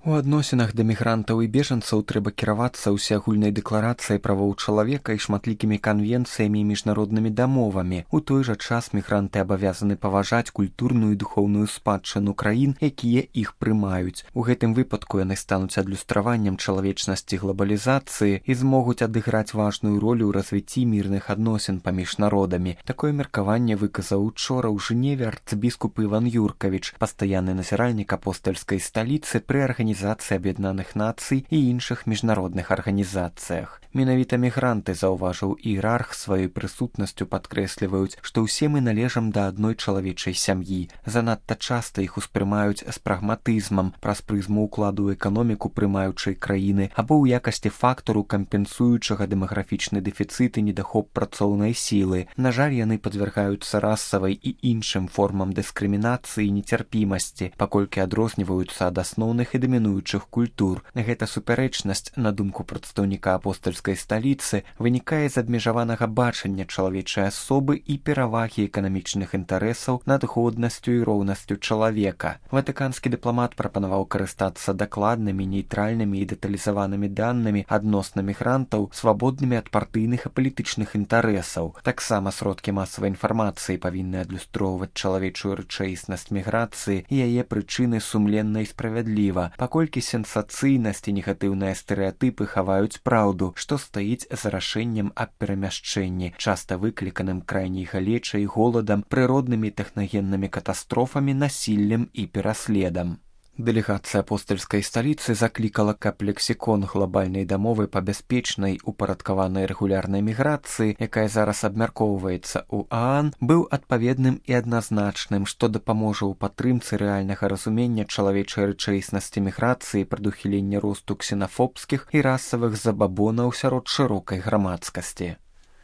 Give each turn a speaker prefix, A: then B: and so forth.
A: У адносінах да мігрантаў і бежанцаў трэба кіравацца ўсеагульнай дэкларацыяй правоў чалавека і шматлікімі канвенцыямі і міжнароднымі дамовамі. У той жа час мігранты абавязаны паважаць культурную і духоўную спадчыну краін, якія іх прымаюць. У гэтым выпадку яны стануць адлюстраваннем чалавечнасці глабалізацыі і змогуць адыграць важную ролю ў развіцці мірных адносін паміж народамі. Такое меркаванне выказаў учора ў Жневе арцыбіскуп Іван Юркавіч, пастаянны назіральнік апостальскай сталіцы пры Арганізацыі Аб'яднаных Нацый і іншых міжнародных арганізацыях. Менавіта мігранты, заўважыў іерарх, сваёй прысутнасцю падкрэсліваюць, што ўсе мы належам да адной чалавечай сям'і. Занадта часта іх успрымаюць з прагматызмам праз прызму ўкладу ў эканоміку прымаючай краіны або ў якасці фактару, кампенсуючага дэмаграфічны дэфіцыт і недахоп працоўнай сілы. На жаль, яны падвяргаюцца расавай і іншым формам дыскрымінацыі і нецярпімасці, паколькі адрозніваюцца ад асноўных і дамінуючых культур. Гэта супярэчнасць, на думку прадстаўніка апостальскай сталіцы, вынікае з абмежаванага бачання чалавечай асобы і перавагі эканамічных інтарэсаў над годнасцю і роўнасцю чалавека. Ватыканскі дыпламат прапанаваў карыстацца дакладнымі, нейтральнымі і дэталізаванымі данымі адносна мігрантаў, свабоднымі ад партыйных і палітычных інтарэсаў. Таксама сродкі масавай інфармацыі павінны адлюстроўваць чалавечую рэчаіснасць міграцыі і яе прычыны сумленна і справядліва, паколькі сенсацыйнасць і негатыўныя стэрэатыпы хаваюць праўду, што стаіць за рашэннем аб перамяшчэнні, часта выкліканым крайняй галечай, голадам, прыроднымі і тэхнагеннымі катастрофамі, насіллем і пераследам. Дэлегацыя апостальскай сталіцы заклікала, каб лексікон глобальнай дамовы па бяспечнай, упарадкаванай рэгулярнай міграцыі, якая зараз абмяркоўваецца ў ААН, быў адпаведным і адназначным, што дапаможа ў падтрымцы рэальнага разумення чалавечай рэчаіснасці міграцыі, прадухілення росту ксенафобскіх і расавых забабонаў сярод шырокай грамадскасці.